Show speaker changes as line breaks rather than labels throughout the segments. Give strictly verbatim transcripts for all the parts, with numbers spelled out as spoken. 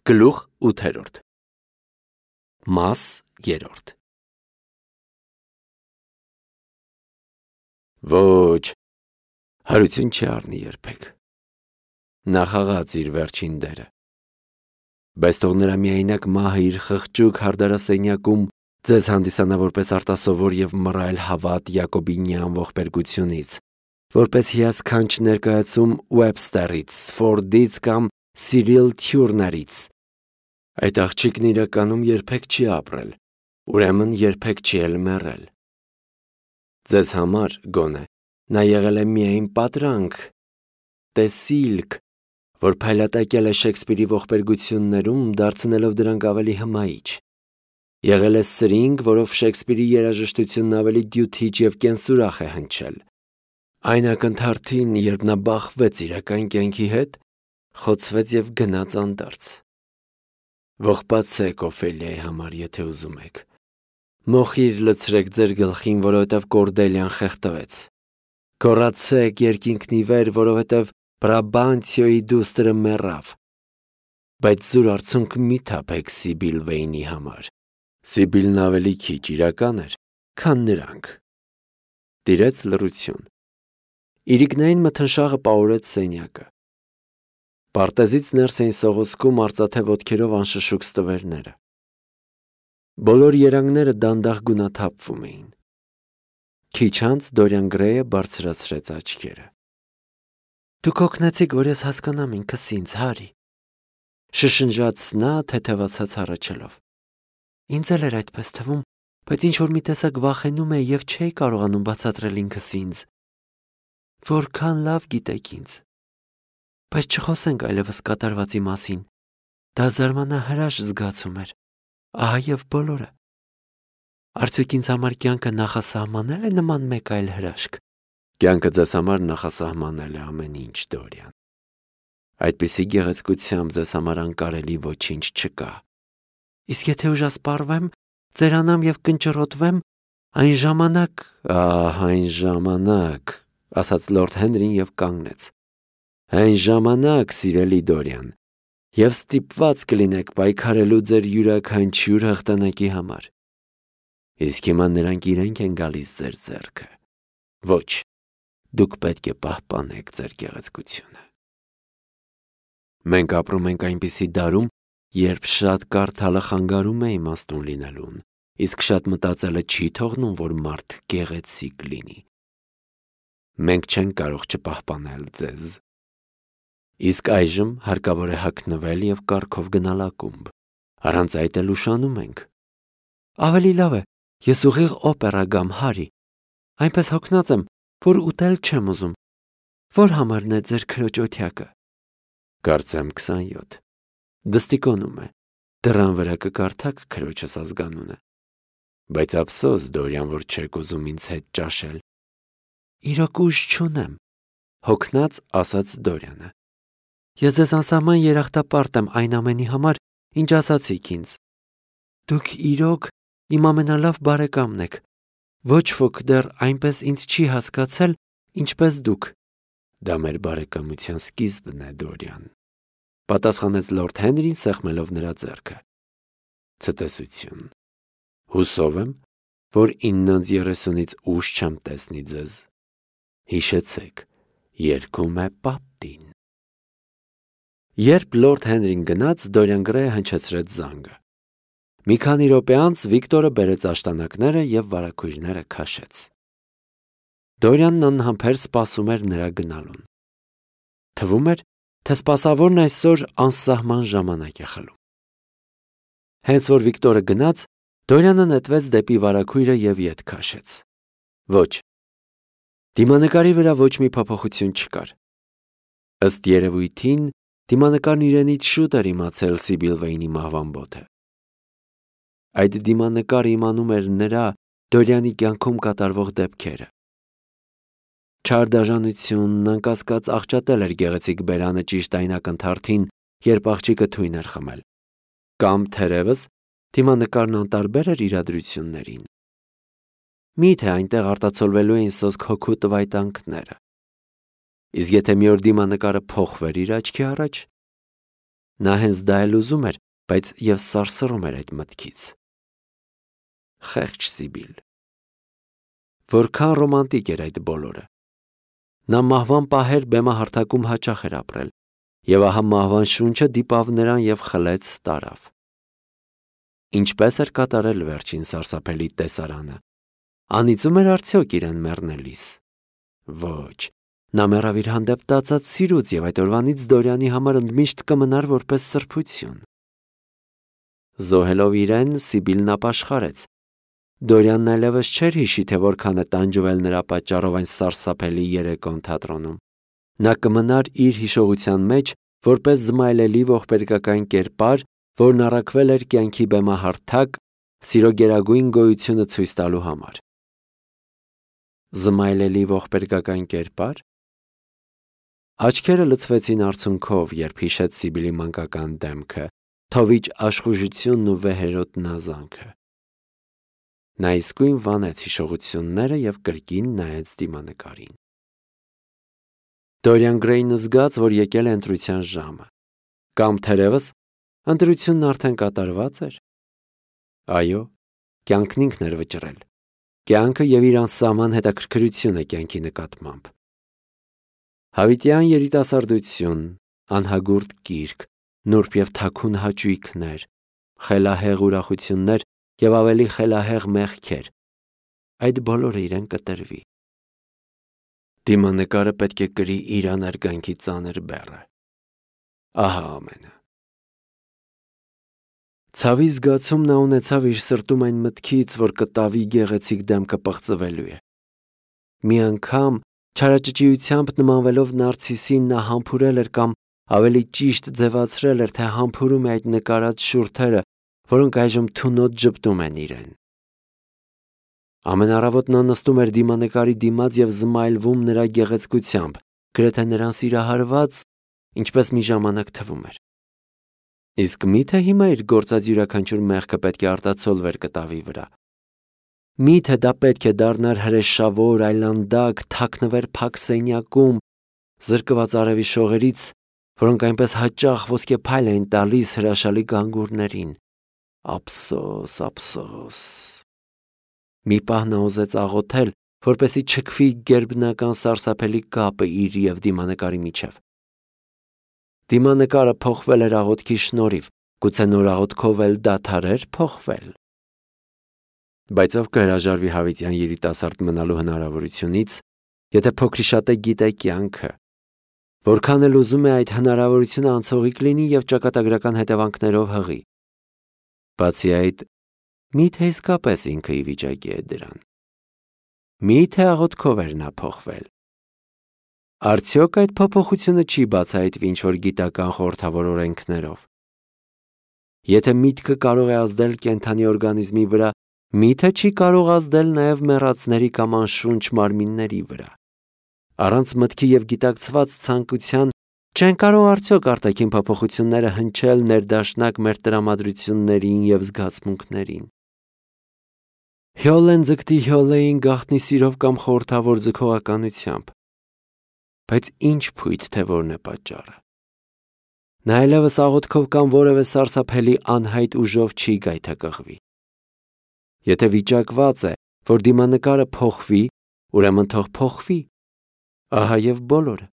Գլուխ ութերորդ Մաս երրորդ Ոչ, հարություն չի առնի երբեք, նա խաղաց իր վերջին դերը, բայց թող նրա միայնակ մահը իր խղճուկ հարդարասենյակում ձեզ հանդիսանա որպես արտասովոր և մռայլ հավատ յակոբինյան ողբերգությունից, որպես հիասքանչ ներկայացում Ուեբստերից, Ֆորդից կամ Սիրիլ Թյուրներից, այդ աղջիկն իրականում երբեք չի ապրել, ուրեմն երբեք չի էլ մեռել, ձեզ համար գոնե, նա եղել է միայն պատրանք, տեսիլք, որ փայլատակել է Շեքսպիրի ողբերգություններում, դարձնելով դրանք ավելի հմայիչ, եղել է սրինգ, որով Շեքսպիրի երաժշտությունն ավելի դյութիչ և կենսուրախ է հնչել, այն ակնթարթին, երբ նա բախվեց իրական կյանքի հետ, խոցվեց և գնաց անդարձ, ողբացեք Օֆելիայի համար, եթե ուզում եք, մոխիր լցրեք ձեր գլխին, որովհետև Կորդելիան խեղդվեց, գոռացեք երկինքն ի վեր, որովհետև Բրաբանտիոյի դուստրը մեռավ, բայց զուր արցունք մի թափեք Սիբիլ Վեյնի համար, Սիբիլն ավելի քիչ իրական էր, քան նրանք, տիրեց լռություն, իրիկնային մթնշաղը պահուրեց սենյակը, պարտեզից ներս էին սողոսկում արծաթե ոտքերով անշշուկ ստվերները, բոլոր երանգները դանդաղ գունաթափվում էին, քիչ անց Դորիան Գրեյը բարձրացրեց աչքերը, դուք օգնեցիք, որ ես հասկանամ ինքս ինձ, Հարի, շշնջաց նա թեթևացած հառաչելով, ինձ էլ էր այդպես թվում, բայց ինչ-որ մի տեսակ վախենում էի և չէի կարողանում բացատրել ինքս ինձ, որքան լավ գիտեք ինձ, բայց չխոսենք այլևս կատարվածի մասին, դա զարմանահրաշ զգացում էր, ահա և բոլորը, արդյոք ինձ համար կյանքը նախասահմանել է նման մեկ այլ հրաշք, կյանքը ձեզ համար նախասահմանել է ամեն ինչ, Դորիան, այդպիսի գեղեցկությամբ ձեզ համար անկարելի ոչինչ չկա, իսկ եթե ուժասպառվեմ, ձերանամ և կնճռոտվեմ, այն ժամանակ, ահ, այն ժամանակ, ասաց լորդ Հենրին և կանգնեց, այն ժամանակ, սիրելի Դորիան, և ստիպված կլինեք պայքարելու ձեր յուրաքանչյուր հաղթանակի համար, իսկ հիմա նրանք իրենք են գալիս ձեր ձեռքը, ոչ, դուք պետք է պահպանեք ձեր գեղեցկությունը, մենք ապրում ենք այնպիսի դարում, երբ շատ կարդալը խանգարում է իմաստուն լինելուն, իսկ շատ մտածելը չի թողնում, որ մարդ գեղեցիկ լինի, մենք չենք կարող չպահպանել ձեզ, իսկ այժմ հարկավոր է հագնվել և կառքով գնալ ակումբ, առանց այդ էլ ուշանում ենք, ավելի լավ է, ես ուղիղ օպերա գամ, Հարի, այնպես հոգնած եմ, որ ուտել չեմ ուզում, որ համարն է ձեր քրոջ օթյակը, կարծեմ քսանյոթ, դստիկոնում է, դռան վրա կկարդաք քրոջս ազգանունը, բայց ափսոս, Դորիան, որ չեք ուզում ինձ հետ ճաշել, իրոք ուժ չունեմ, հոգնած ասաց Դորիանը, ես ձեզ անսահման երախտապարտ եմ այն ամենի համար, ինչ ասացիք ինձ, դուք իրոք իմ ամենալավ բարեկամն եք, ոչ ոք դեռ այնպես ինձ չի հասկացել, ինչպես դուք, դա մեր բարեկամության սկիզբն է, Դորիան, պատասխանեց լորդ Հենրին սեղմելով նրա ձեռքը, ցտեսություն, հուսով եմ, որ իննանց երեսունից ուշ չեմ տեսնի ձեզ, հիշեցեք, երգում է պատին, երբ լորդ Հենրին գնաց, Դորիան Գրեյը հնչեցրեց զանգը, մի քանի րոպե անց Վիկտորը բերեց աշտանակները և վարագույրները քաշեց, Դորիանն անհամբեր սպասում էր նրա գնալուն, թվում էր, թե սպասավորն այսօր անսահման ժամանակ է խլում, հենց որ Վիկտորը գնաց, Դորիանը նետվեց դեպի վարագույրը և ետ քաշեց, ոչ, դիմանկարի վրա ոչ մի փոփոխություն չկար, ըստ երևույթին, դիմանկարն իրենից շուտ էր իմացել Սիբիլ Վեյնի մահվան բոթը, այդ դիմանկարը իմանում էր նրա Դորիանի կյանքում կատարվող դեպքերը, չար դաժանությունն անկասկած աղճատել էր գեղեցիկ բերանը ճիշտ այն ակնթարթին, երբ աղջիկը թույն էր խմել, կամ թերևս դիմանկարն անտարբեր էր իրադրություններին, միթե այնտեղ արտացոլվելու էին սոսկ հոգու տվայտանքները, իսկ եթե մի օր դիմանկարը փոխվեր իր աչքի առաջ, Նա հենց դա էլ ուզում էր, բայց և սարսռում էր այդ մտքից։ Խեղճ Սիբիլ։ Որքան ռոմանտիկ էր այդ բոլորը։ Նա մահվան պահեր բեմահարթակում հաճախ էր ապրել, և ահա մահվան շունչը դիպավ նրան և խլեց տարավ։ Ինչպես էր կատարել վերջին սարսափելի տեսարանը։ Անիծում էր արդյոք իրեն մեռնելիս։ Ոչ, նա մեռավ իր հանդեպ տածած սիրուց և այդ օրվանից Դորյանի համար ընդմիշտ կմնար որպես սրբություն։ Զոհելով իրեն, Սիբիլն ապաշխարեց։ Դորյանն այլևս չէր հիշի, թե որքան է տանջվել նրա պատճառով այն սարսափելի երեկոն թատրոնում։ Նա կմնար իր հիշողության մեջ որպես զմայլելի ողբերգական կերպար, որն առաքվել էր կյանքի բեմահարթակ, սիրո գերագույն գոյությունը ցույց տալու համար։ Զմայլելի ողբերգական կերպար։ Աչքերը լցվեցին արցունքով, երբ հիշեց Սիբիլի մանկական դեմքը, թովիչ աշխուժությունն ու վեհերոտ նազանքը։ Նա իսկույն վանեց հիշողությունները և կրկին նայեց դիմանկարին։ Դորիան Գրեյն զգաց, որ եկել է ընտրության ժամը։ Կամ թերևս ընտրությունն արդեն կատարված էր։ Այո, կյանքն ինքն էր վճռել։ Կյանքը և իր անսահման հետաքրքրությունը կյանքի նկատմամբ։ Հավիտյան երիտասարդություն, անհագուրդ կիրք, նուրբ և թաքուն հաճույքներ, խելահեղ ուրախություններ և ավելի խելահեղ մեղքեր։ Այդ բոլորը իրեն կտրվի։ Դիմանկարը պետք է կրի իր անարգանքի ծանր բեռը։ Ահա ամենը։ Ցավի զգացում նա ունեցավ իր սրտում այն մտքից, որ կտավի գեղեցիկ դեմքը պղծվելու է։ Մի անգամ չարաճճիությամբ նմանվելով նարցիսին, նա համբուրել էր կամ ավելի ճիշտ ձևացրել էր, թե համբուրում է այդ նկարած շուրթերը, որոնք այժմ թունոտ ժպտում են իրեն։ Ամեն առավոտ նա նստում էր դիմանկարի դիմաց և զմայլվում նրա գեղեցկությամբ, գրեթե նրան սիրահարված, ինչպես մի ժամանակ թվում էր։ Իսկ մի՞թե հիմա իր գործած յուրաքանչյուր մեղքը պետք է արտացոլվեր կտավի վրա։ Մի՞թե դա պետք է դառնար հրեշավոր, այլանդակ, թաքնվեր փակ սենյակում, զրկված արևի շողերից, որոնք այնպես հաճախ ոսկեփայլ էին տալիս հրաշալի գանգուրներին։ Ափսոս, ափսոս։ Մի պահ նա ուզեց աղոթել, որպեսզի չքվի գերբնական սարսափելի կապը իր և դիմանկարի միջև։ Դիմանկարը փոխվել էր աղոթքի շնորհիվ, գուցե նոր աղոթքով էլ դադարեր փոխվել։ Բայց ով կհրաժարվի հավիտյան երիտասարդ մնալու հնարավորությունից, եթե փոքրիշատե գիտե կյանքը, որքան էլ ուզում է այդ հնարավորությունը անցողիկ լինի և ճակատագրական հետևանքներով հղի։ Բացի այդ, մի՞թե իսկապես ինքը ի վիճակի է դրան։ Մի՞թե աղոթքով էր նա փոխվել։ Արդյոք այդ փոփոխությունը չի բացահայտվի ինչ-որ գիտական խորհրդավոր օրենքներով։ Եթե միտքը կարող է ազդել կենդանի օրգանիզմի վրա, մի՞թե չի կարող ազդել նաև մեռածների կամ անշունչ մարմինների վրա։ Առանց մտքի և գիտակցված ցանկության չեն կարող արդյոք արտաքին փոփոխությունները հնչել ներդաշնակ մեր տրամադրություններին և զգացմունքներին։ Հյոլեն ձգտի Հյոլեին գաղտնի սիրով կամ խորհրդավոր ձգողականությամբ։ Բայց ինչ փույթ, թե որն է պատճառը։ Նա այլևս աղոթքով կամ որևէ սարսափելի անհայտ ուժով չի գայթակղվի։ Եթե վիճակված է, որ դիմանկարը փոխվի, ուրեմն թող փոխվի։ Ահա և բոլորը։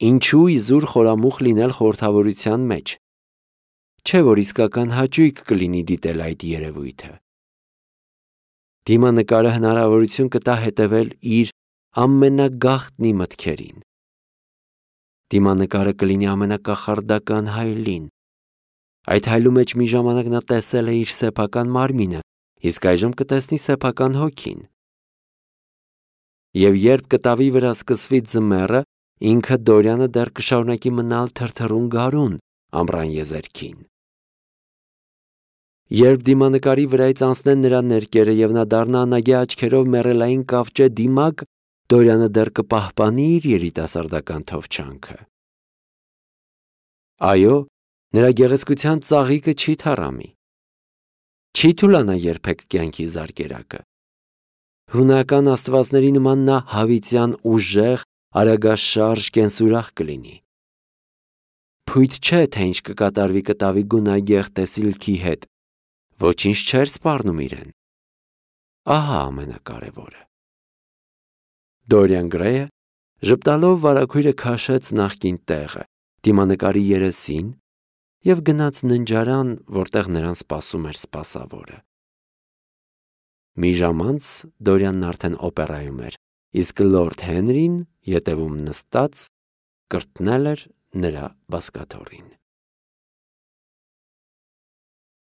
Ինչու իզուր խորամուխ լինել խորհրդավորության մեջ։ Չէ՞ որ իսկական հաճույք կլինի դիտել այդ երևույթը։ Դիմանկարը հնարավորություն կտա հետևել իր ամենագաղտնի մտքերին։ Դիմանկարը կլինի ամենակախարդական հայելին։ Այդ հայելու մեջ մի ժամանակ նա տեսել է իր սեփական մարմինը, իսկ այժմ կտեսնի սեփական հոգին։ Եվ երբ կտավի վրա սկսվի ձմեռը, ինքը Դորյանը դեռ կշարունակի մնալ թրթռուն գարուն ամռան եզերքին։ Երբ դիմանկարի վրայից անցնեն նրա ներկերը և նա դառնա անագե աչքերով մեռելային կավճե դիմակ, Դորյանը դեռ կպահպանի իր երիտասարդական թովչանքը։ Այո, նրա գեղեցկության ծաղիկը չի թառամի։ Չի թուլանա երբեք կյանքի զարկերակը։ Հունական աստվածների նման նա հավիտյան ուժեղ, արագաշարժ կենսուրախ կլինի։ Փույթ չէ, թե ինչ կկատարվի կտավի գունագեղ տեսիլքի հետ, ոչինչ չէր սպառնում իրեն։ Ահա ամենակարևորը։ Դորիան Գրեյը ժպտալով վարագույրը քաշեց նախկին տեղը, դիմանկարի երեսին և գնաց ննջարան, որտեղ նրան սպասում էր սպասավորը։ Մի ժամ անց Դորիանն արդեն օպերայում էր, իսկ լորդ Հենրին ետևում նստած կրտնել էր նրա բազկաթոռին։